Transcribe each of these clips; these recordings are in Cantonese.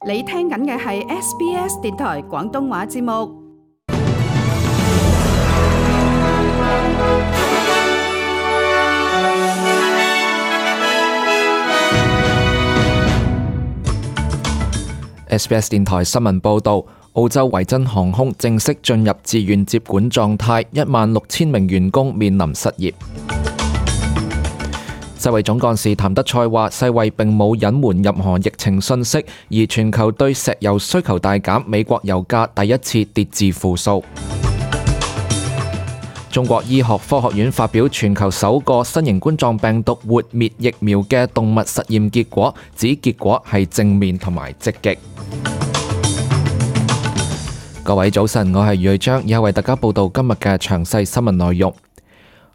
你聽緊嘅係 SBS 電台廣東話節目。SBS 電台新聞報導，澳洲維珍航空正式進入自願接管狀態，16,000名員工面臨失業。世衛總幹事譚德塞話：世衛並冇隱瞞任何疫情信息，而全球對石油需求大減，美國油價第一次跌至負數。中國醫學科學院發表全球首個新型冠狀病毒活滅疫苗嘅動物實驗結果，指結果係正面同埋積極。各位早晨，我係余瑞章，以下為大家報道今日嘅詳細新聞內容。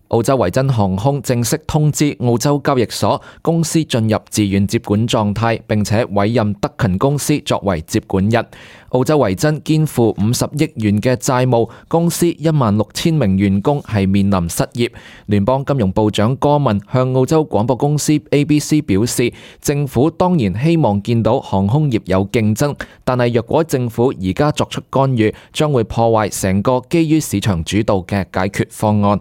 澳洲維珍航空正式通知澳洲交易所，公司進入自願接管狀態，並且委任德勤公司作為接管人。澳洲維珍肩負50億元嘅債務，公司16,000名員工係面臨失業。聯邦金融部長戈文向澳洲廣播公司 ABC 表示，政府當然希望見到航空業有競爭，但係若果政府而家作出干預，將會破壞成個基於市場主導嘅解決方案。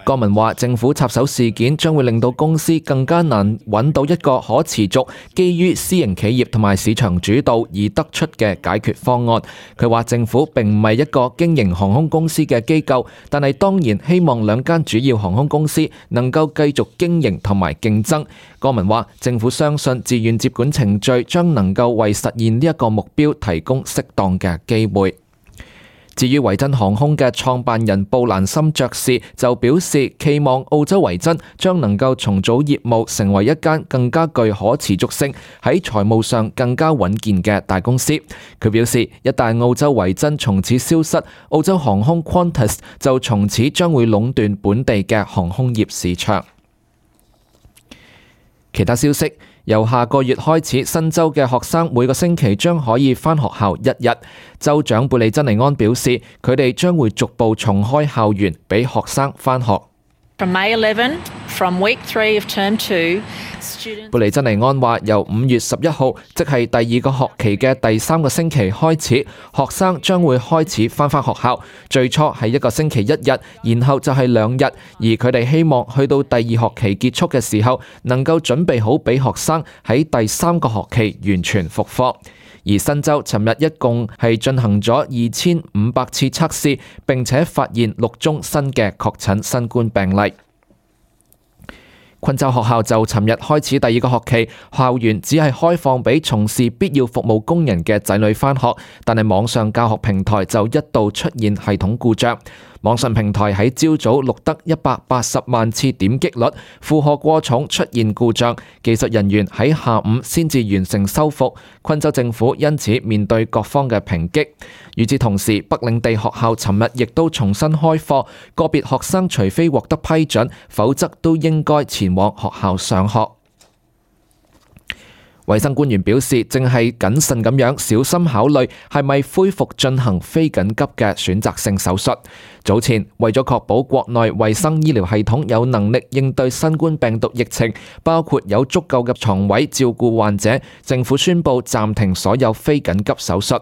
戈文話：政府插手事件將會令到公司更加難揾到一個可持續、基於私營企業同埋市場主導而得出嘅解決方案。佢話政府並唔係一個經營航空公司嘅機構，但係當然希望兩間主要航空公司能夠繼續經營同埋競爭。戈文話：政府相信自願接管程序將能夠為實現呢一個目標提供適當嘅機會。至於維珍航空嘅創辦人布蘭森爵士就表示，期望澳洲維珍將能夠重組業務，成為一間更加具可持續性、喺財務上更加穩健嘅大公司。佢表示，一旦澳洲維珍從此消失，澳洲航空 Qantas 就從此將會壟斷本地嘅航空業市場。其他消息，由下個月開始，新州嘅學生每個星期將可以返學校1日。州長貝利珍尼安表示，佢哋將會逐步重開校園，俾學生返學。From May 11, from week 3 of term 2, 貝利珍尼安話，由5月11號，即係第2個學期嘅第3個星期開始，學生將會開始返學校。最初係一個星期1日，然後就係2日，而佢哋希望去到第2學期結束嘅時候，能夠準備好俾學生喺第3個學期完全復課。而新州尋日一共係進行咗2500次測試，並且發現6宗新嘅確診新冠病例。昆州學校就尋日開始第2個學期，校園只係開放俾從事必要服務工人嘅仔女返學，但係網上教學平台就一度出現系統故障。網上平台喺朝早錄得180萬次點擊率，負荷過重出現故障，技術人員喺下午先至完成修復。昆州政府因此面對各方嘅抨擊。與此同時，北領地學校尋日亦都重新開課，個別學生除非獲得批准，否則都應該前往學校上學。衛生官員表示，正係謹慎咁樣小心考慮係咪恢復進行非緊急嘅選擇性手術。早前為咗確保國內衛生醫療系統有能力應對新冠病毒疫情，包括有足夠嘅床位照顧患者，政府宣布暫停所有非緊急手術。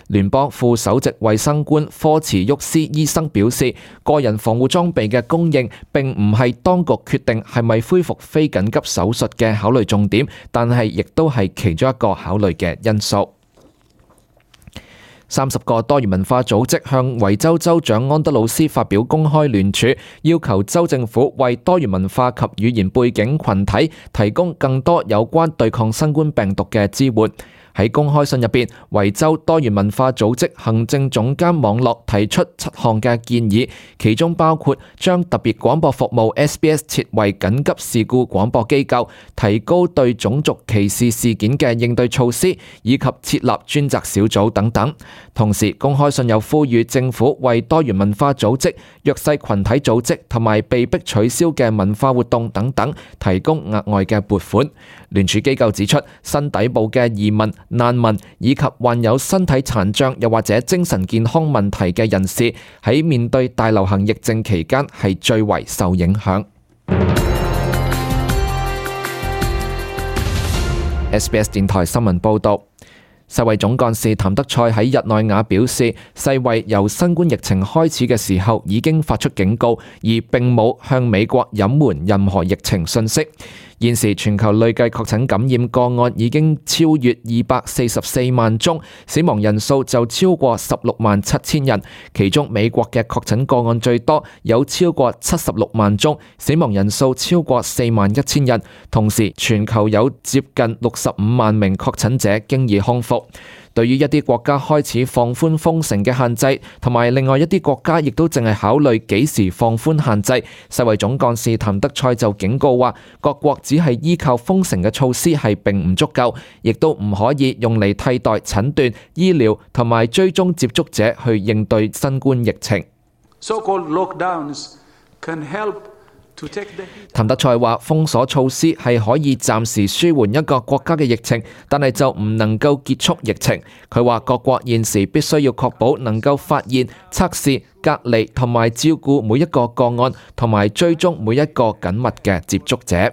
聯邦副首席衛生官科茨沃斯醫生表示，個人防護裝備嘅供應並唔係當局決定係咪恢復非緊急手術嘅考慮重點，但係亦都係其中一個考慮嘅因素。30個多元文化組織向維州州長安德魯斯發表公開聯署，要求州政府為多元文化及語言背景群體提供更多有關對抗新冠病毒嘅支援。喺公開信入邊，維州多元文化組織行政總監網絡提出7項嘅建議，其中包括將特別廣播服務 SBS 設為緊急事故廣播機構，提高對種族歧視事件嘅應對措施，以及設立專責小組等等。同時，公開信又呼籲政府為多元文化組織、弱勢群體組織同埋被迫取消嘅文化活動等等提供額外嘅撥款。聯署機構指出，新抵埗嘅移民、難民以及患有身體殘障又或者精神健康問題嘅人士，喺面對大流行疫症期間係最為受影響。SBS 電台新聞報導。世衛總幹事譚德塞喺日內瓦表示，世衛由新冠疫情開始嘅時候已經發出警告，而並冇向美國隱瞞任何疫情信息。現時全球累計確診感染個案已經超越244萬宗，死亡人數就超過16萬7千人，其中美國嘅確診個案最多，有超過76萬宗，死亡人數超過4萬1千人。同時，全球有接近65萬名確診者經已康復。對於一啲國家開始放寬封城嘅限制，同埋另外一啲國家亦都淨係考慮幾時放寬限制，世衛總幹事譚德塞就警告話，各國只係依靠封城嘅措施係並唔足夠，亦都唔可以用嚟替代診斷、醫療同埋追蹤接觸者去應對新冠疫情。So-called lockdowns can help。譚德塞話：封鎖措施係可以暫時舒緩一個國家嘅疫情，但係就唔能夠結束疫情。佢話各國現時必須要確保能夠發現、測試、隔離同埋照顧每一個個案，同埋追蹤每一個緊密嘅接觸者。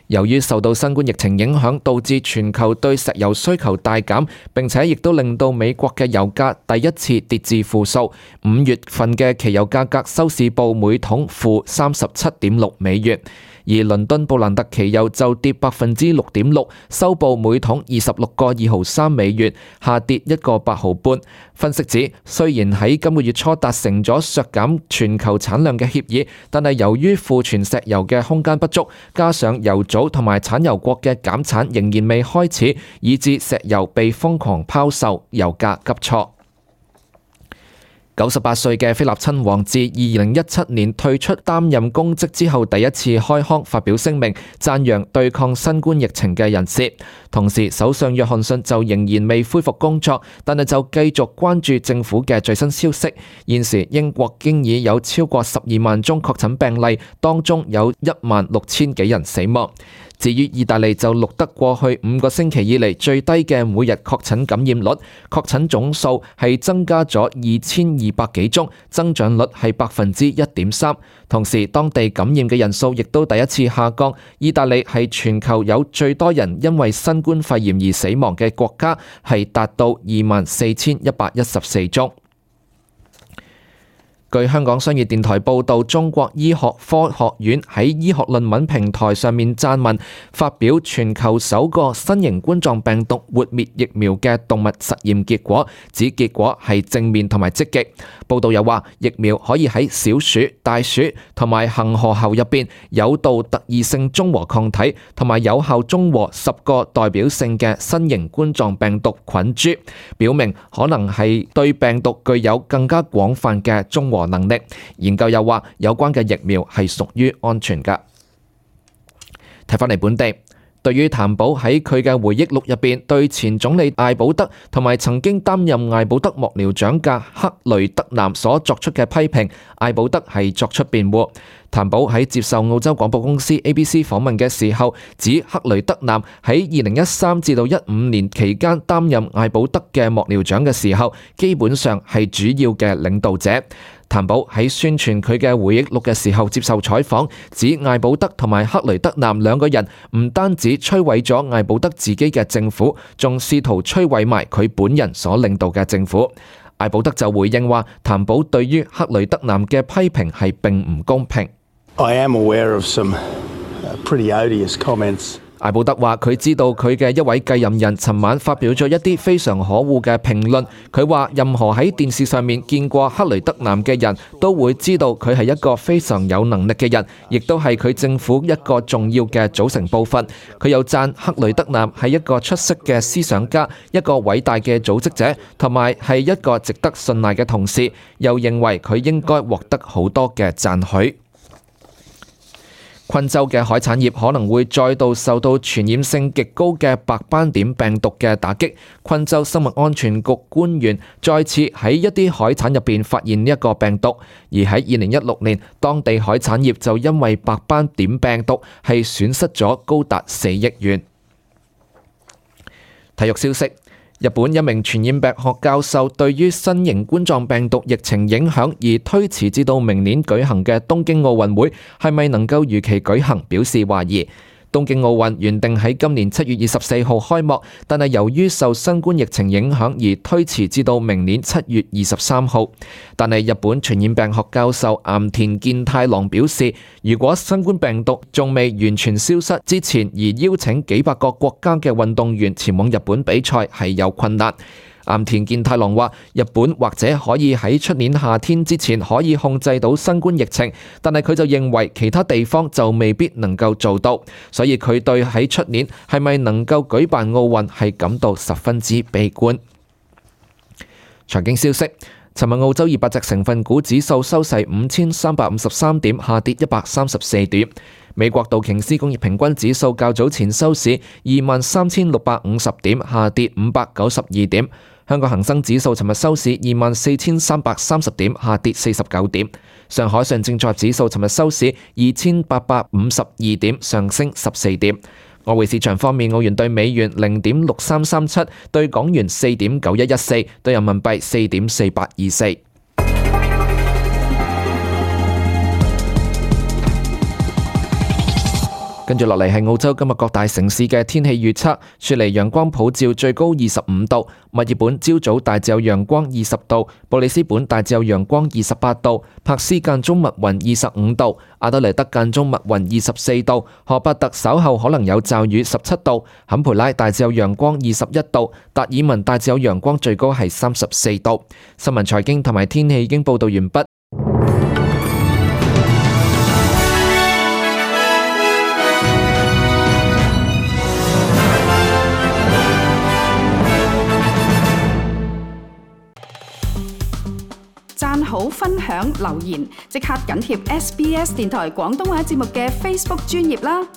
由於受到新冠疫情影響，導致全球對石油需求大減，並且亦都令到美國嘅油價第一次跌至負數。5月份嘅期油價格收市報每桶負37.6美元。而倫敦布蘭特期油就跌6.6%，收報每桶26個2毫3美元，下跌1個8毫半。分析指，雖然喺今個月初達成咗削減全球產量嘅協議，但係由於庫存石油嘅空間不足，加上油組同埋產油國嘅減產仍然未開始，以致石油被瘋狂拋售，油價急挫。98歲嘅菲臘親王自2017年退出擔任公職之後，第一次開腔發表聲明，讚揚對抗新冠疫情嘅人士。同時，首相約翰遜就仍然未恢復工作，但係就繼續關注政府嘅最新消息。現時英國經已有超過12萬宗確診病例，當中有16000幾人死亡。至於意大利就錄得過去5個星期以嚟最低嘅每日確診感染率，確診總數係增加咗2200幾宗，增長率係1.3%。同時，當地感染嘅人數亦都第一次下降。意大利係全球有最多人因為新冠肺炎而死亡嘅國家，係達到24114宗。據香港商業電台報導，中國醫學科學院喺醫學論文平台上面撰文，發表全球首個新型冠狀病毒活滅疫苗嘅動物實驗結果，指結果係正面同埋積極。報導又話，疫苗可以喺小鼠、大鼠同埋恆河猴入邊誘導特異性中和抗體，同埋有效中和10個代表性嘅新型冠狀病毒菌株，表明可能係對病毒具有更加廣泛嘅中和能力。研究又話，有關嘅疫苗係屬於安全㗎。睇返嚟本地，對於譚寶喺佢嘅回憶錄入邊對前總理艾保德同埋曾經擔任艾保德幕僚長嘅克雷德南所作出嘅批評，艾保德係作出辯護。譚寶喺接受澳洲廣播公司 ABC 訪問嘅時候，指克雷德南喺2013至到15年期間擔任艾保德嘅幕僚長嘅時候，基本上係主要嘅領導者。譚寶喺宣傳佢嘅回憶錄嘅時候接受採訪，指艾保德同埋克雷德南兩個人唔單止摧毀咗艾保德自己嘅政府，仲試圖摧毀埋佢本人所領導嘅政府。艾保德就回應話，譚寶對於克雷德南嘅批評係並唔公平。I am aware of some pretty odious comments. 艾保德話佢知道佢嘅一位繼任人尋晚發表咗一啲非常可惡嘅評論。佢話任何喺電視上面見過克雷德南嘅人都會知道佢係一個非常有能力嘅人，亦都係佢政府一個重要嘅組成部分。佢又讚克雷德南係一個出色嘅思想家，一個偉大嘅組織者，同埋係一個值得信賴嘅同事。又認為佢應該獲得好多嘅讚許。昆州嘅海產業可能會再度受到傳染性極高嘅白斑點病毒嘅打擊。昆州生物安全局官員再次喺一啲海產入邊發現呢一個病毒，而喺2016年，當地海產業就因為白斑點病毒係損失咗高達4億元。體育消息。日本一名傳染病學教授對於新型冠狀病毒疫情影響而推遲至到明年舉行嘅東京奧運會係咪能夠如期舉行表示懷疑。東京奧運原定喺今年7月24號開幕，但係由於受新冠疫情影響而推遲至到明年7月23號。但係日本傳染病學教授岩田健太郎表示，如果新冠病毒仲未完全消失之前，而邀請幾百個國家嘅運動員前往日本比賽係有困難。岩田健太郎話：日本或者可以喺出年夏天之前可以控制到新冠疫情，但係佢就認為其他地方就未必能夠做到，所以佢對喺出年係咪能夠舉辦奧運係感到十分之悲觀。財經消息，尋日澳洲200隻成分股指數收市5353點，下跌134點。美國道瓊斯工業平均指數較早前收市23,650點，下跌592點。香港恒生指數尋日收市24,330點，下跌49點。上海上證綜合指數尋日收市2,852點，上升14點。外匯市場方面，澳元對美元0.6337，對港元4.9114，對人民幣4.4824。跟住落嚟係澳洲今日各大城市嘅天氣預測。雪梨陽光普照，最高25度；墨爾本朝早大致有陽光20度；布里斯本大致有陽光28度；柏斯間中密雲25度；阿德萊德間中密雲24度；荷伯特稍後可能有驟雨17度；坎培拉大致有陽光21度；達爾文大致有陽光，最高係34度。新聞財經同埋天氣已經報道完畢。讚好、分享、留言，即刻緊貼SBS 電台廣東話節目嘅 Facebook 專頁啦！